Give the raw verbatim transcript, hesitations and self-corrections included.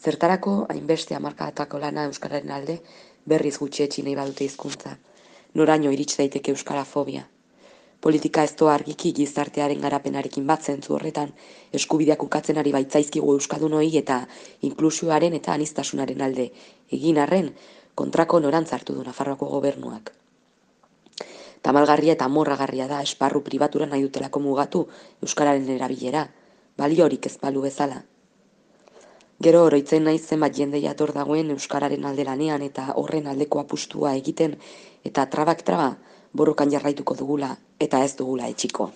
Zertarako hainbeste hamarkadetako lana euskararen alde berriz gutxietsi nahi badute hizkuntza. Noraino irits daiteke euskarafobia. Politika ez doa argiki gizartearen garapenarekin bat zentzu horretan, eskubideak ukatzen ari baitzaizkigu euskaldunoi eta inklusioaren eta aniztasunaren alde egin arren kontrako norantz hartu du Nafarroako gobernuak. Tamalgarria eta amorragarria da esparru pribatura nahi dutelako mugatu euskararen erabilera, baliorik ez balu bezala. Gero oroitzen naiz zenbat jende jator dagoen euskararen alde lanean eta horren aldeko apustua egiten eta trabak traba borrokan jarraituko dugula eta ez dugula etxiko.